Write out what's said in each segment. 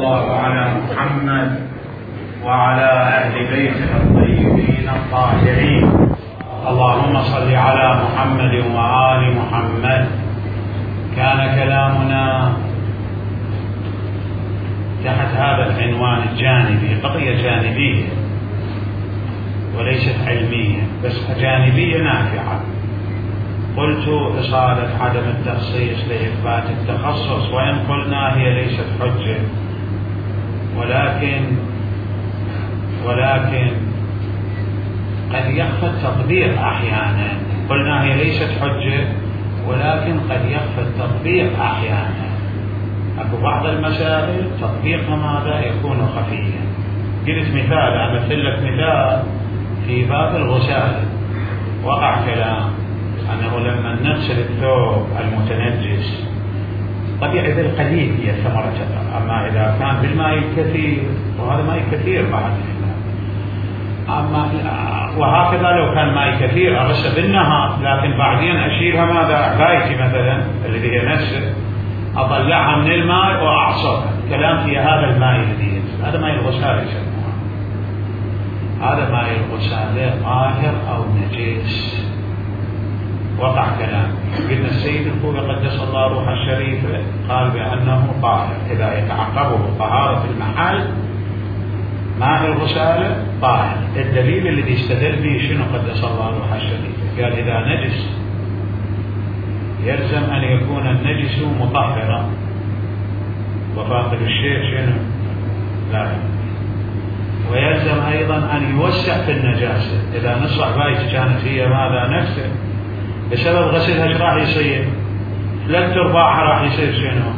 الله على محمد وعلى أهل بيته الطيبين الطاهرين. اللهم صل على محمد وآل محمد. كان كلامنا تحت هذا العنوان الجانبي، قضية جانبية وليست علمية، بس جانبية نافعة. قلت إصالة عدم التخصيص لإثبات التخصص، وإن قلنا هي ليست حجة، ولكن قد يخفى التطبيق أحيانا. قلنا هي ليست حجة، ولكن قد يخفى التطبيق أحيانا. أكو بعض المسائل تطبيقها ماذا يكون خفيا. قلت مثال، أمثل لك مثال في باب الغسالة. وقع كلام أنه لما نغسل الثوب المتنجس طبيعي بالقليل هي ثمرة، أما إذا كان بالماء الكثير، وهذا ماء كثير بعد، أما وهكذا لو كان ماء كثير أغسل بالنهار، لكن بعدين أشيلها ماذا، عبايتي مثلا الذي هي نفسه، أطلعها من الماء وأعصرها. كلام في هذا الماء الذي ينزل، هذا ماء الغسالة يسموها. هذا ماء الغسالة طاهر أو نجس؟ وقع كلام. قلنا السيد الخوي قدس الله روحه الشريفة قال بأنه طاهر إذا يتعقبه طهارة المحل. ماء الغسالة طاهر. الدليل الذي استدل به شنو قدس الله روحه الشريفة؟ قال إذا نجس يلزم أن يكون النجس مطهرا، وفاقد الشيء شنو؟ لا. ويلزم أيضا أن يوسع في النجاسة. إذا نصح بايت كانت هي ماذا نفسه، بسبب غسلها ايش راح يصير؟ 3/4 راح يصير شنو؟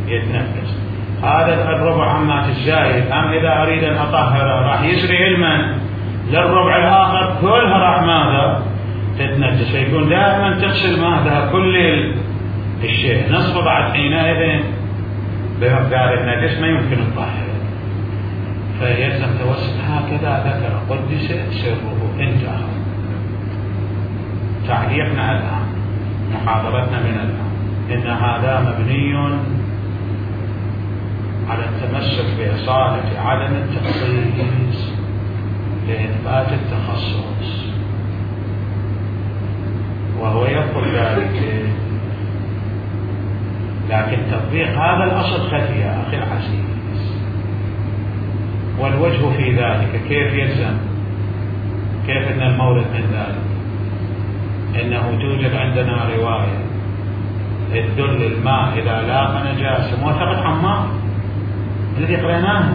يتنفس. هذا الربع عمات الزايد، أم إذا أريد أن أطهره راح يسري علما للربع الآخر كلها راح ماذا؟ تتنجس. فيكون دائما تغسل ماذا؟ كل الشيء. نصف بعد حينئذ بمقدار النجس ما يمكن الطهر، فيلزم توسع. هكذا ذكر قدس سره. انتهى تعليقنا الآن، محاضرتنا من الآن، إن هذا مبني على التمسك بإصالة عدم التخصيص لإثبات التخصص، وهو يقول ذلك، لكن تطبيق هذا الأصل خفي يا أخي العزيز. والوجه في ذلك كيف يلزم؟ كيف أن المورد من ذلك؟ إنه توجد عندنا رواية تدل الماء إذا لاقى نجاسة، موافقة عمار الذي قرأناها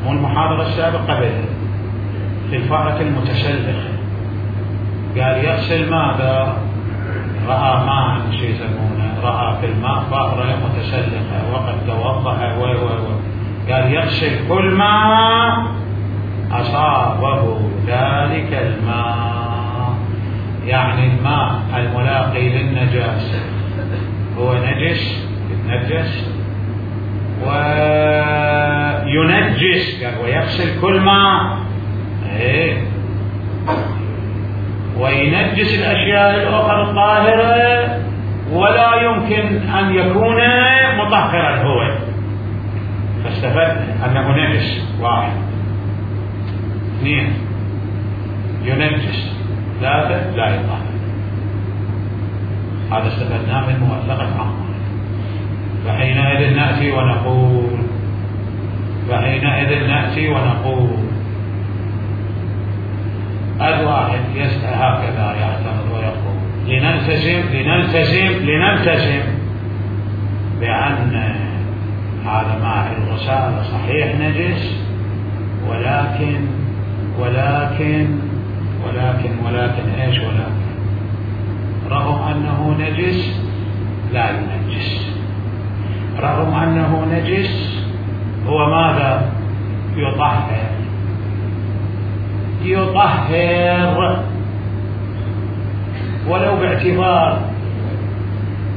مو المحاضرة السابقة قبلها في الفأرة المتسلخة. قال يغسل ماذا؟ رأى ماء شيء يسمونه، رأى في الماء فأرة متسلخة وقد توضأ قال يغسل كل ما أصابه ذلك الماء. يعني الماء الملاقي للنجاسة هو نجس، يتنجس وينجس. قال ويغسل كل ماء، وينجس الأشياء الأخرى الطاهرة، ولا يمكن أن يكون مطهرا هو. فاستفدنا أنه نجس. 1 2 ينجس، 3 لا يطهر. هذا استفدناه من موثقة عمار. فحينئذ نأتي ونقول الواحد يسأل هكذا يعترض ويقول لنلتزم بأن هذا ماء الغسالة صحيح نجس، ولكن ايش؟ ولكن رغم انه نجس لا ينجس. رغم انه نجس هو ماذا؟ يطهر ولو باعتبار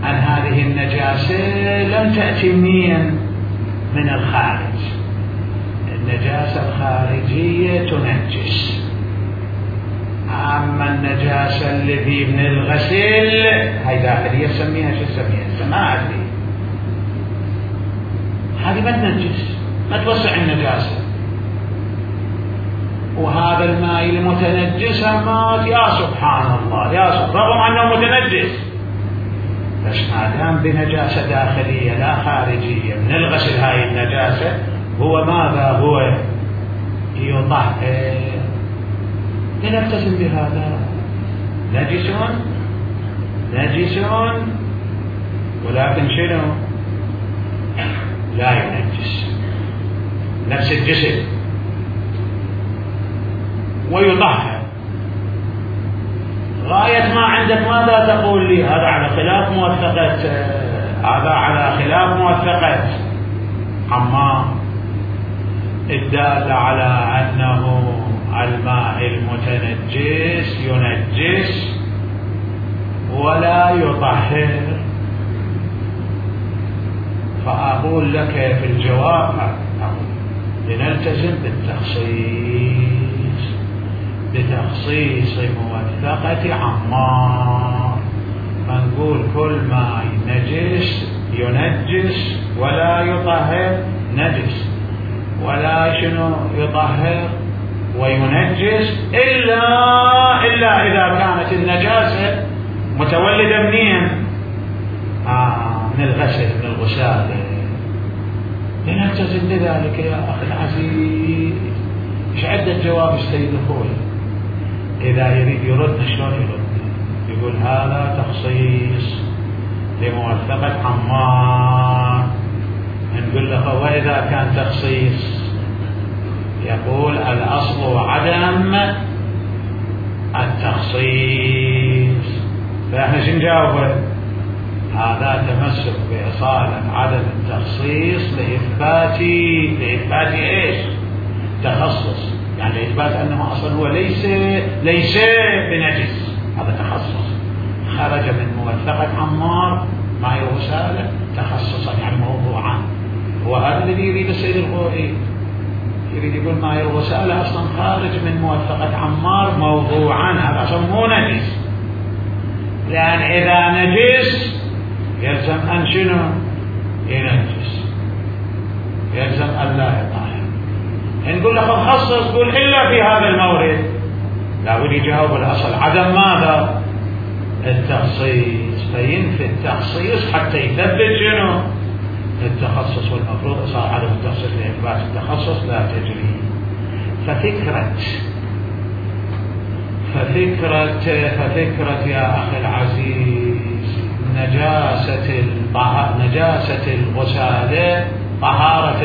أن هذه النجاسة لم تأتي من الخارج. النجاسة الخارجية تنجس، أما النجاسة الذي من الغسل هاي داخلية سميها شو سميها؟ ما أدري. هذه ما تنجس، ما توسع النجاسة. وهذا الماء المتنجس مات، يا سبحان الله، يا سبحان، رغم أنه متنجس، بس ما دام بنجاسة داخلية لا خارجية من الغسل هاي النجاسة، هو ماذا؟ هو يطهر. لنلتزم بهذا. نجس ولكن شنو؟ لا ينجس، نفس الجسد، ويطهر. غاية ما عندك ماذا تقول لي؟ هذا على خلاف موثقة عمار الدالة على أنه الماء المتنجس ينجس ولا يطهر. فأقول لك في الجواب لنلتزم بتخصيص موثقة عمار، فنقول كل ما ينجس ولا يطهر نجس، ولا يطهر وينجس إلا إذا كانت النجاسة متولدة منين؟ من الغسل، من الغسالة. لنلتزم بذلك يا أخي العزيز. إيش عدة جواب السيد الخوي؟ إذا يريد يردنا شلون يردنا؟ يقول هذا تخصيص لموثقة عمار. نقول له وإذا كان تخصيص، يقول الأصل عدم التخصيص. فإحنا شو نجاوب؟ هذا تمسك بإصالة عدم التخصيص لإثبات إيش؟ تخصص، يعني لإثبات أنه أصلا هو ليس بنجس. هذا تخصص خرج من موثقة عمار مع الغسالة تخصصا، يعني موضوعا. هو هذا الذي يريد السيد الخوئي، يريد يقول ماء الغسالة أصلا خارج من موثقة عمار موضوعا، هذا أصلا مو نجس. لأن إذا نجس يلزم أن شنو؟ ينجس، يلزم أن لا يطهر. نقول له خصص، قول إلا في هذا المورد. لابد يجاوب الأصل عدم ماذا؟ التخصيص. فينفي التخصيص حتى يثبت شنو؟ التخصص. والمفروض صار عدم التخصيص لإثبات التخصص لا تجري. ففكرة يا أخي العزيز نجاسة الغسالة، طهارة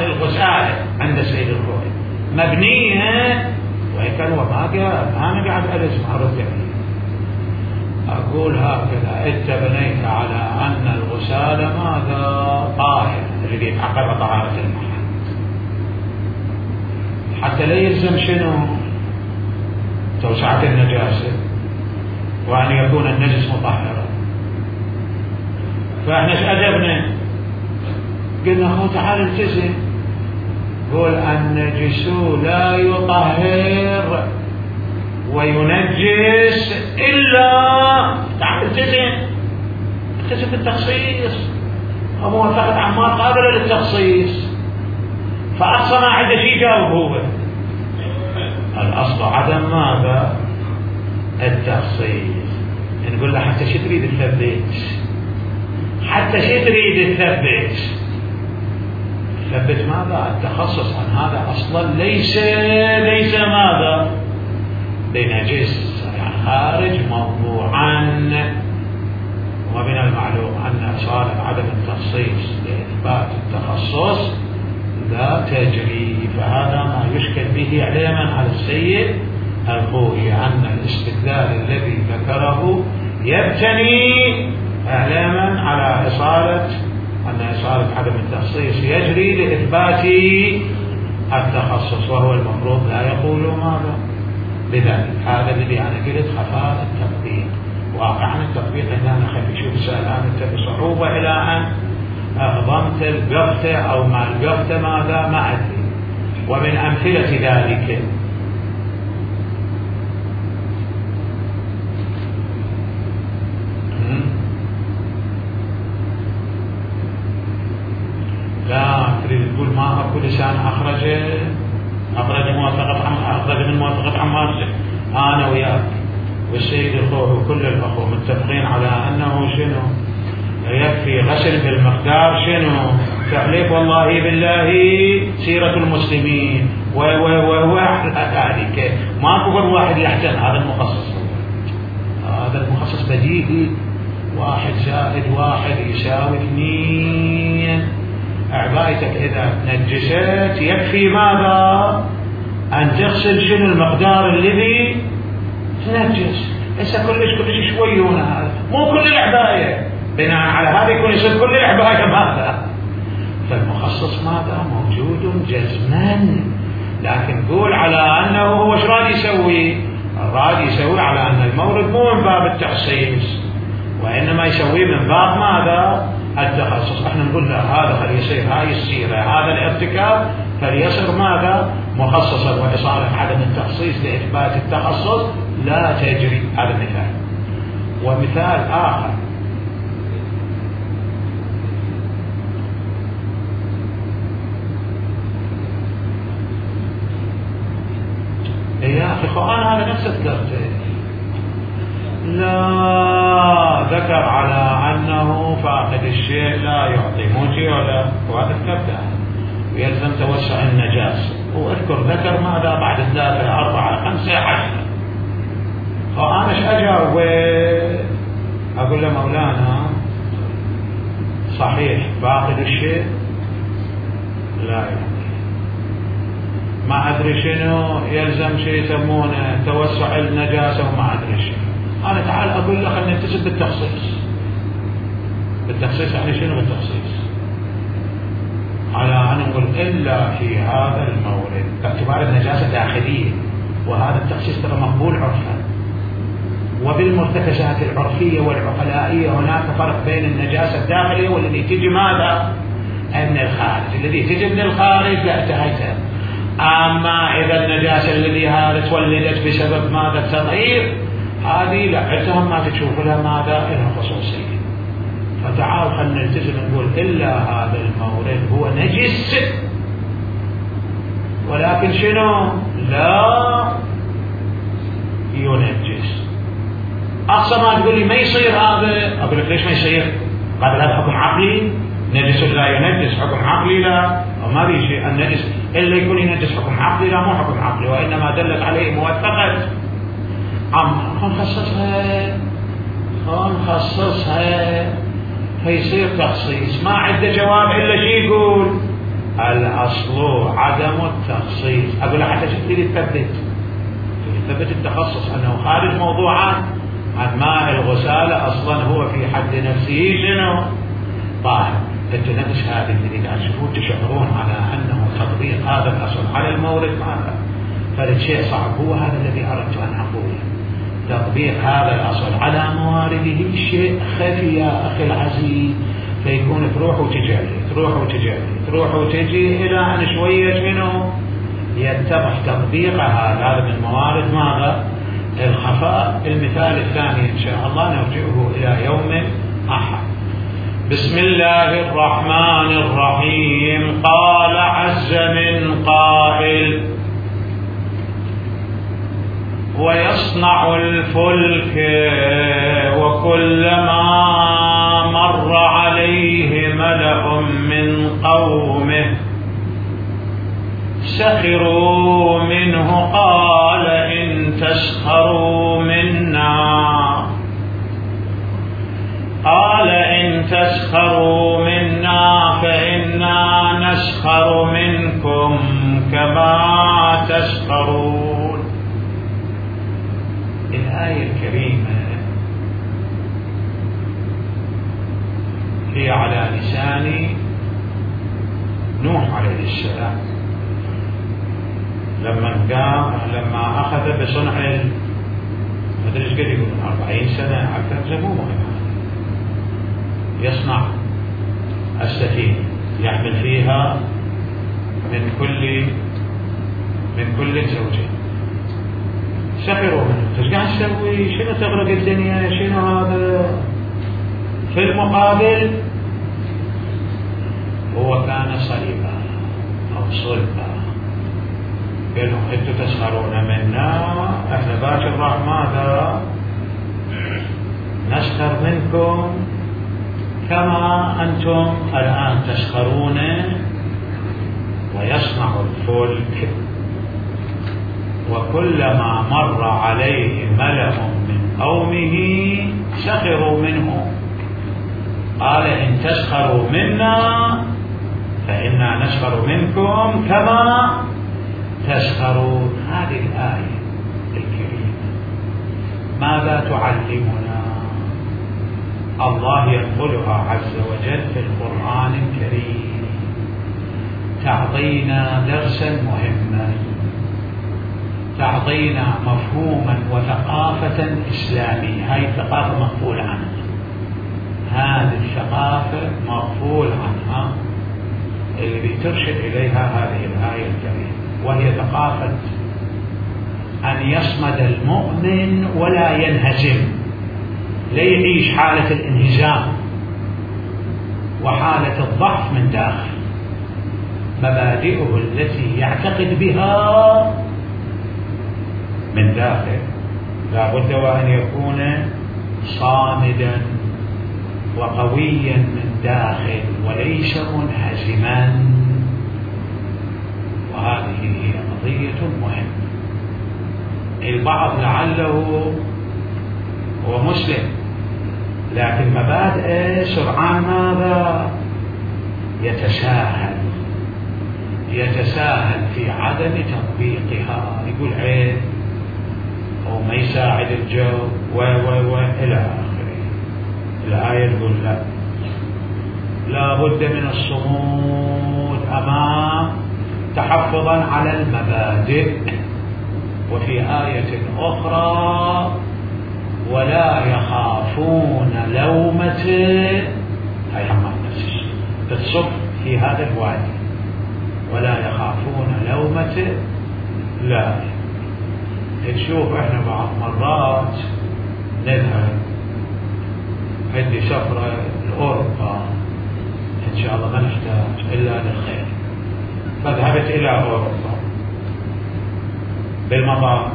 الغسالة عند السيد الخوئي مبنية، وهيك هو ما أنا قاعد أرد عليه. أقول هكذا: أنت بنيت على أن الغسالة ماذا؟ طاهر، الذي يتعقب طهارة المحل، حتى لا يلزم شنو؟ توسعة النجاسة، وأن يكون النجس مطهرا. فإحنا ايش أدبنا؟ قلنا هو تعال التزم، قول النجس لا يطهر وينجس إلا، تعال التزم بالتخصيص. وموافقة عمار قابلة للتخصيص، فأقصى ما عنده شيء جاوب هو الأصل عدم ماذا؟ التخصيص. نقول له حتى شو تريد تثبت ماذا؟ التخصص. عن هذا أصلا ليس ماذا؟ بنجس، يعني خارج موضوعا. ومن المعلوم أن إصالة عدم التخصيص لإثبات التخصص لا تجري. فهذا ما يشكل به علما على السيد الخوئي، أن الاستدلال الذي ذكره يبتني علما على أن إصالة عدم التخصيص يجري لإثبات التخصص، وهو المفروض لا يقول ماذا بذلك. هذا الذي أنا قلت خفاء التطبيق. واقعا التطبيق هنا نخلي شوف سألان أنت بصعوبة إلى أن ضمت القفته أو ما القفته ماذا ما أدري. ومن أمثلة ذلك تريد تقول ما اكو لسان اخرج من موافقة عمار. انا وياك والسيد الخوي وكل الاخوه متفقين على انه شنو يكفي غسل بالمقدار شنو تحليف والله بالله سيرة المسلمين وهو ذلك ماكو غير واحد يحتل. هذا المخصص، هذا المخصص بديهي، 1 زائد 1 يساوي 2. عبايتك إذا نجست يكفي ماذا؟ أن تغسل شنو المقدار الذي تنجس. هسه كلش شوي هنا، هذا مو كل العباية، بناء على هذا يكون يصير كل العباية ماذا؟ فالمخصص ماذا؟ موجود جزما. لكن قول على أنه هو ايش راد يسوي؟ راد يسوي على أن المورد مو من باب التخصيص، وإنما يسوي من باب ماذا؟ التخصص. احنا نقول له هذا فليصير هاي السيرة، هذا الارتكاب فليصير ماذا؟ مخصصا، وإصالة عدم التخصيص لإثبات التخصص لا تجري. هذا مثال. ومثال آخر يا أخي أنا هذا نفس ذكرته، لا ذكر على أنه فاقد الشيء لا يعطي موجي ولا، وهذا ذكرته ويلزم توسع النجاسة. وأذكر ذكر ماذا بعد 3 4 5 10. فأنا ايش أجاوب؟ أقول له مولانا صحيح فاقد الشيء لا يعطي، ما أدري شنو يلزم شيء يسمونه توسع النجاسة وما أدري شنو. أنا تعال أقول له خلينا نتسب بالتخصيص. بالتخصيص يعني شنو بالتخصيص؟ على أن نقول إلا في هذا المورد باعتبار النجاسة داخلية، وهذا التخصيص ترى مقبول عرفا. وبالمرتكزات العرفية والعقلائية هناك فرق بين النجاسة الداخلية والذي تجي ماذا؟ من الخارج. الذي تجي من الخارج لا انتهيتها. أما إذا النجاسة الذي هذا تولدت بسبب ماذا؟ التطهير، هذه لا عندهم ما تشوف لها ماذا؟ لها خصوصية. فتعال خلنا نلتزم نقول إلا هذا المورد هو نجس، ولكن شنو؟ لا ينجس. أقصى ما تقول لي ما يصير هذا، أقول لك ليش ما يصير؟ قال هذا حكم عقلي، نجس لا ينجس حكم عقلي لا، وما في شيء النجس إلا يكون ينجس حكم عقلي لا، مو حكم عقلي، وإنما دلت عليه موثقة. خنخصصها فيصير تخصيص. ما عنده جواب إلا شيء يقول الأصل عدم التخصيص. أقول حتى تريد تثبت التخصص أنه خارج موضوعات عن ماء الغسالة أصلا هو في حد نفسه شنو؟ طاهر. أنتم نفس هذه اللي قاعد تشوفون تشعرون على أنه تطبيق هذا الأصل على المورد ماذا؟ فالشيء صعب. هو هذا الذي أردت أن أقوله، تطبيق هذا الأصل على موارده شيء خفي يا أخي العزيز، فيكون تروح وتجي إلى أن شوية منه يتضح تطبيق هذا من موارد ماذا؟ الخفاء. المثال الثاني إن شاء الله نرجعه إلى يوم أحد. بسم الله الرحمن الرحيم. قال عز من قائل: ويصنع الفلك وكلما مر عليه ملأ من قومه سخروا منه قال إن تسخروا منا فإنا نسخر منكم كما تسخرون. الآية الكريمة هي على لسان نوح عليه السلام لما أخذ بصنع مدري ايش قد يقولون 40 سنة أكثر، مو مهم، يصنع السفينة يحمل فيها من كل زوجين. سخروا منه، ايش قاعد تسوي؟ شنو تغرق الدنيا؟ شنو هذا؟ في المقابل هو كان صليبا، صلبا. قال لهم انتم تسخرون منا، احنا باكر راح ماذا نسخر منكم كما انتم الان تسخرون. ويصنع الفلك وكلما مر عليه ملأ من قومه سخروا منه. قال إن تسخروا منا فإنا نسخر منكم كما تسخرون. هذه الآية الكريمة ماذا تعلمنا؟ الله ينقلها عز وجل في القرآن الكريم تعطينا درسا مهما، تعطينا مفهوما وثقافة إسلامية. هاي الثقافة مغفول عنها، هذه الثقافة مغفول عنها اللي بترشد إليها هذه الآية الكريمة، وهي ثقافة أن يصمد المؤمن ولا ينهزم، لا يعيش حالة الانهزام وحالة الضعف من داخل. مبادئه التي يعتقد بها من داخل لا بد وأن يكون صامدا وقويا من داخل وليس منهزما. وهذه هي قضية مهمة. البعض لعله هو مسلم لكن مبادئه سرعان ماذا يتساهل في عدم تطبيقها، يقول عيب أو ما يساعد الجو إلى آخره. الآية تقول لا بد من الصمود أمام تحفظا على المبادئ. وفي آية أخرى ولا يخافون لومة، هاي حمام نفسه تتصف في هذا الوادي، ولا يخافون لومة لائم. نشوف احنا بعض مرات نذهب، عندي سفرة لأوروبا إن شاء الله ما نحتاج إلا للخير، فذهبت إلى أوروبا بالمطار،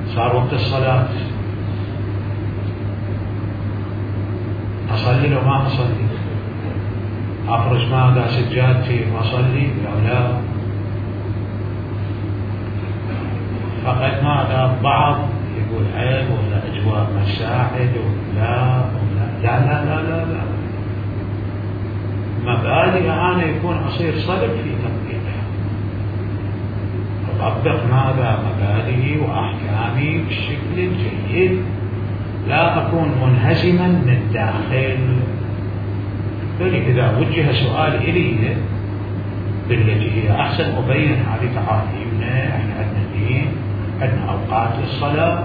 صار وقت الصلاة، أصلي لو ما أصلي؟ أفرش ماذا سجادتي وأصلي لو لا؟ فقد ماذا بعض يقول عيب ولا أجواء مساعد ولا لا لا لا لا لا. مبادئ أنا يكون أصير صلب في تطبيقها، أطبق ماذا مبادئي وأحكامي بالشكل الجيد، لا أكون منهزما من الداخل. إذا وجه سؤال إلي بالتي هي أحسن أبين هذه تعاليمنا، إحنا عندنا دين، عندنا أوقات للصلاة،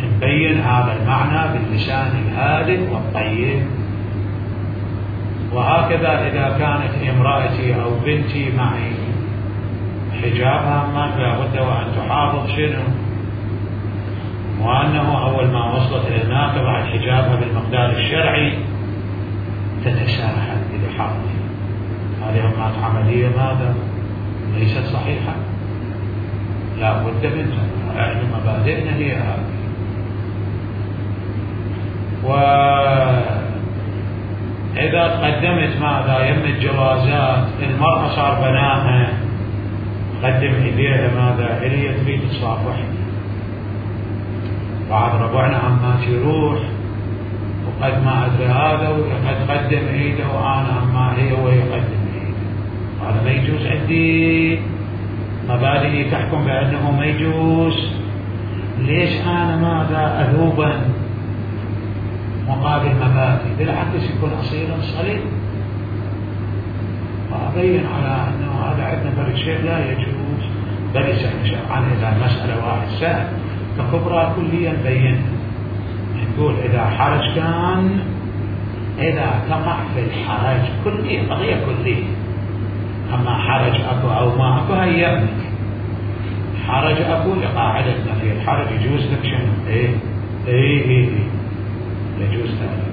نبين هذا المعنى باللسان الهادئ والطيب. وهكذا إذا كانت امرأتي أو بنتي معي حجابها ما لابد وأن تحافظ شنو، وأنه أول ما وصلت إلى هناك بعد حجابها بالمقدار الشرعي تتساهل بلحاظها. هذه أوقات عملية ماذا ليست صحيحة، لا بد منها. احنا مبادئنا هي هذه. وإذا قدمت ماذا يم الجوازات، المرأة صار بناها قدم إليها ماذا إلي تريد تصافحني، بعض ربعنا عمات يروح وقد ما أدري هذا وقد قدم إيده وأنا عما هي وهي قدم إيده. هذا ما يجوز، عندي مبادئي تحكم بأنه ما يجوز. ليش أنا ماذا أذوبا مقابل مبادئ؟ بالعكس يكون أصيلا صليب، وأبين على أنه هذا عندنا فرق شيء لا يجوز، بل يسأل شرعا إذا مسألة واحد سهل ككبرى كليا بين. نقول إذا حرج كان، إذا تقع في الحرج كلي قضية كلية، أما حرج أكو أو ما أكو هيئنك. حرج أكو لقاعدتنا في الحرج يجوز لك شنو؟ إيه يجوز ذلك.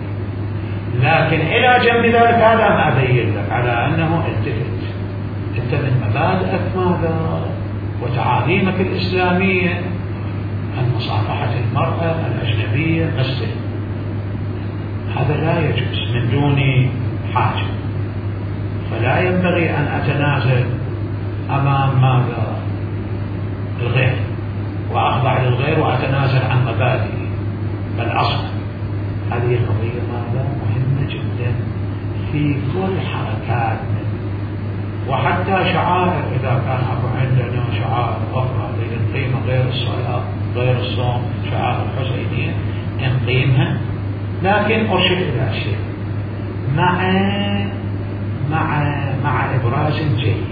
لكن إلى جنب ذلك هذا ما أبين لك على أنه أنت من مبادئك ماذا وتعاليمك الإسلامية عن مصافحة المرأة الأجنبية مثل هذا لا يجوز من دون حاجة، فلا ينبغي أن أتنازل أمام ماذا الغير وأخضع للغير وأتنازل عن مبادئي، بل أصلا هذه القضية ماذا مهمة جدا في كل حركاتنا، وحتى شعائر إذا كان عندنا شعائر أخرى نقيم غير الصلاة غير الصوم شعائر الحسينية نقيمها، لكن أرشد إلى شيء مع إبراز جيد،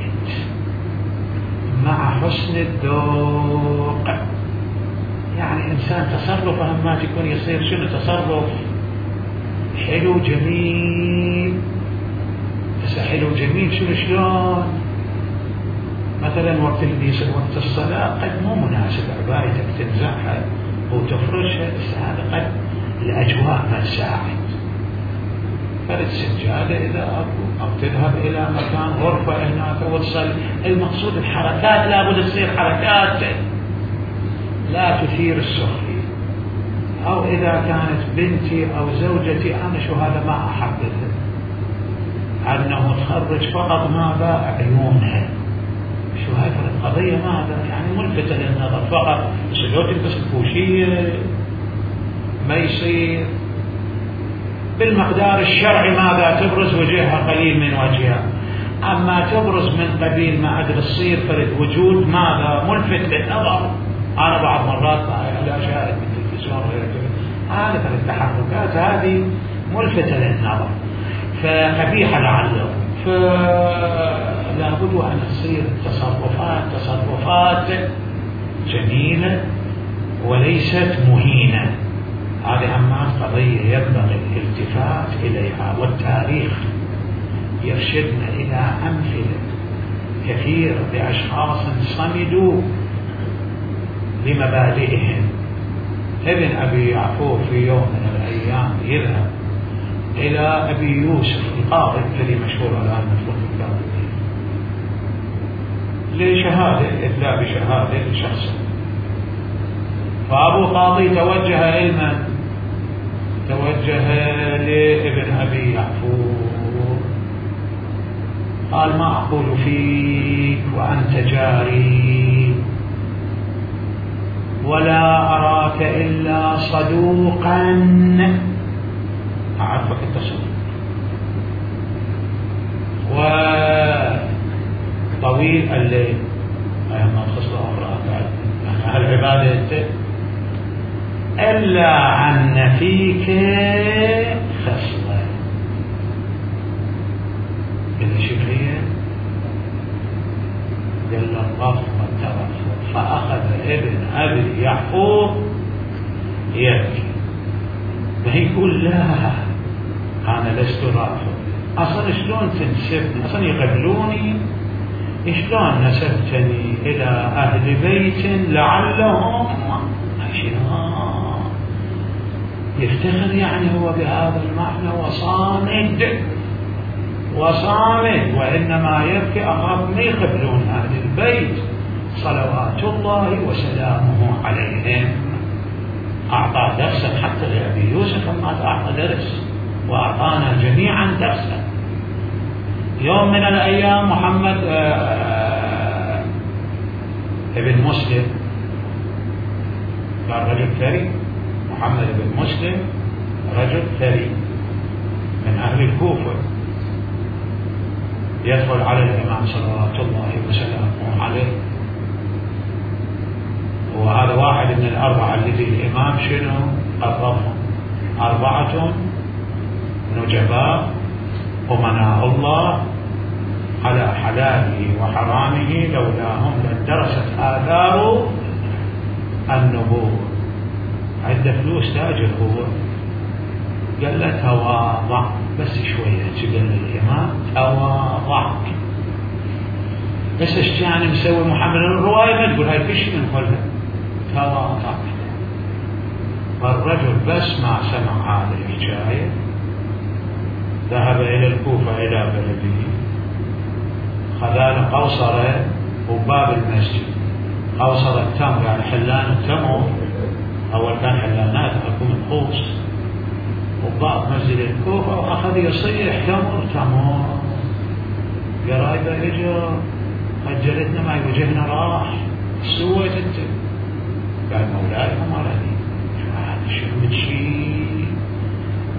مع حسن الذوق. يعني إنسان تصرفه ما تكون يصير شنو تصرف حلو جميل، بس حلو جميل شنو شلون مثلا وقت الصلاة قد مو مناسب عبايتك تنزعها وتفرشها، بس هذا قد الأجواء ما تساعد، فرد سجادة إذا أو تذهب إلى مكان غرفة هناك وتصل. المقصود الحركات لابد تصير حركات لا تثير السخرية، أو إذا كانت بنتي أو زوجتي أنا شو هذا ما أحددها أنه تخرج فقط ماذا عيونها، شو هاي القضية ماذا يعني ملفتة للنظر فقط، بس لو تلبس الكوشية ما يصير بالمقدار الشرعي ماذا تبرز وجهها قليل من وجهها، أما تبرز من قبيل ما أدري تصير فرد وجود ماذا ملفت للنظر. أنا بعض مرات لا أشاهد من التلفزيون وغير كذا، هذه التحركات هذه ملفتة للنظر فقبيحة لعله، فلا بد أن تصير تصرفات جميلة وليست مهينة. هذه أمام قضية ينبغي الالتفات إليها، والتاريخ يرشدنا إلى أمثلة كثيرة لأشخاص صمدوا لمبادئهم. ابن أبي يعقوب في يوم من الأيام يذهب إلى أبي يوسف القاضي الذي مشهور الآن مطلوب الكتاب لشهادة إتلاء بشهادة لشخص، فأبو قاضي توجه علما توجه لابن أبي يعقوب قال ما أقول فيك وأنت جاري ولا أراك إلا صدوقا، أعرفك التصديق وطويل الليل أيما خصلة أخرى يعني أهل عبادة إلا أن فيك خصلة إذا شكرية قال الرفض والترفض، فأخذ ابن أبي يعقوب يبكي فيقول لا أنا لست رافض، أصلا شلون تنسبني أصلا يقبلوني، شلون نسبتني إلى أهل بيت لعلهم يفتخر يعني هو بهذا المعنى وصامد وإنما يبكي أخاف ما يقبلون أهل البيت صلوات الله وسلامه عليهم. أعطى درسا حتى لأبي يوسف ما أعطى درس وأعطانا جميعا درسا. يوم من الأيام محمد ابن مسلم كان رجل ثري، محمد بن مسلم رجل ثري من أهل الكوفة، يدخل على الإمام صلوات الله وسلامه عليه، وهذا واحد من الأربعة الذي الإمام شنو قررهم، 4 نجباء أمناء الله على حلاله وحرامه لولاهم لدرست آثار النبوة. عنده فلوس تاجر هو، قال له تواضع بس شوية، قال الإمام تواضع بس ايش يعني مسوي محمد الرواية ما تقول هاي فيش نقولها تواضع. فالرجل بس ما سمع هذه الحكاية ذهب إلى الكوفة إلى بلده، خذاله قوصرة وباب المسجد، قوصرة التمر يعني حلان التمر، أول كان حلانات أكو منقوص، وباب مسجد الكوفة، وأخذ يصيح تمر تمر. قرايبه اجوا خجلتنا ما وجهنا راح، ايش سويت انت؟ قال مولاي امرني. شو بتشي؟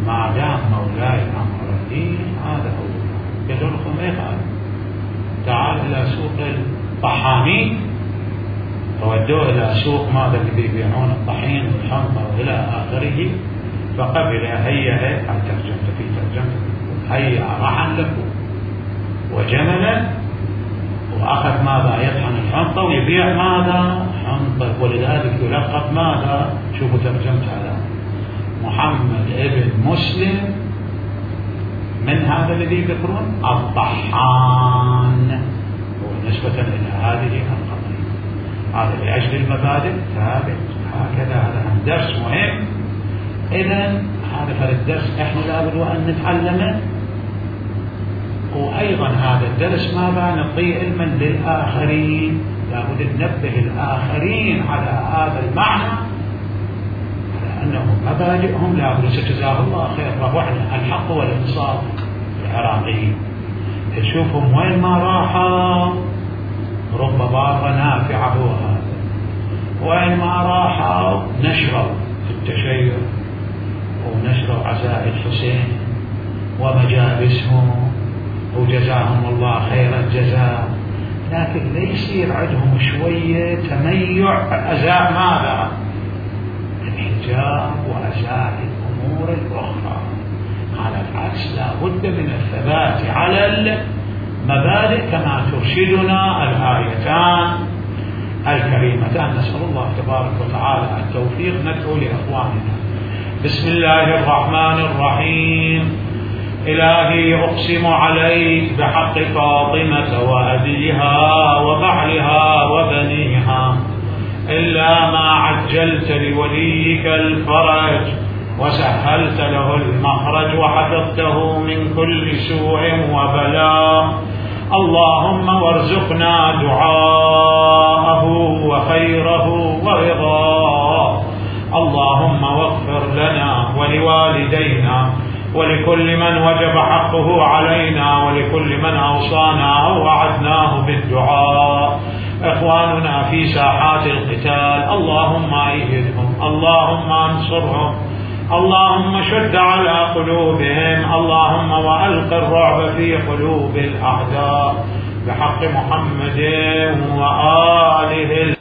ما دام مولاي امرني هذا هو. قالوا لكم ما يفعل، تعال الى سوق الطحانين، فودوه الى سوق ماذا اللي بيبيعون الطحين والحنطه والى اخره، فقبل هيا على ترجمته في ترجمته هيا رحا لكم وجملا، واخذ ماذا يطحن الحنطه ويبيع ماذا حنطه، ولذلك يلقب ماذا، شوفوا ترجمت على محمد ابن مسلم من هذا الذي يذكرون الطحان، ونسبة إلى هذه القضية. هذا لأجل المبادئ ثابت هكذا. هذا درس مهم. إذن هذا الدرس احنا لابد وأن نتعلمه، وأيضا هذا الدرس ماذا نعطيه علما للآخرين، لابد ننبه الآخرين على هذا المعنى، على أنهم مبادئهم لابد. ستجزاه الله خير. رفعنا الحق والإنصاف العراقيين، تشوفهم وين ما راحوا رب ضار نافعه هذا، وين ما راحوا نشروا في التشيع ونشروا عزاء الحسين ومجالسهم، وجزاهم الله خير الجزاء، لكن ليس عندهم شوية تميع أزاء ماذا؟ الحجاب وأزاء الأمور الأخرى. على العكس لا بد من الثبات على المبادئ كما ترشدنا الآيتان الكريمتان. نسأل الله تبارك وتعالى التوفيق. ندعو لإخواننا. بسم الله الرحمن الرحيم. إلهي أقسم عليك بحق فاطمة وأبيها وبعلها وبنيها، إلا ما عجلت لوليك الفرج وسهلت له المخرج وحفظته من كل سوء وبلاء، اللهم وارزقنا دعاءه وخيره ورضاه. اللهم واغفر لنا ولوالدينا ولكل من وجب حقه علينا ولكل من أوصانا أو وعدناه بالدعاء. إخواننا في ساحات القتال اللهم أيدهم، اللهم انصرهم، اللهم شد على قلوبهم، اللهم وألق الرعب في قلوب الأعداء بحق محمد وآله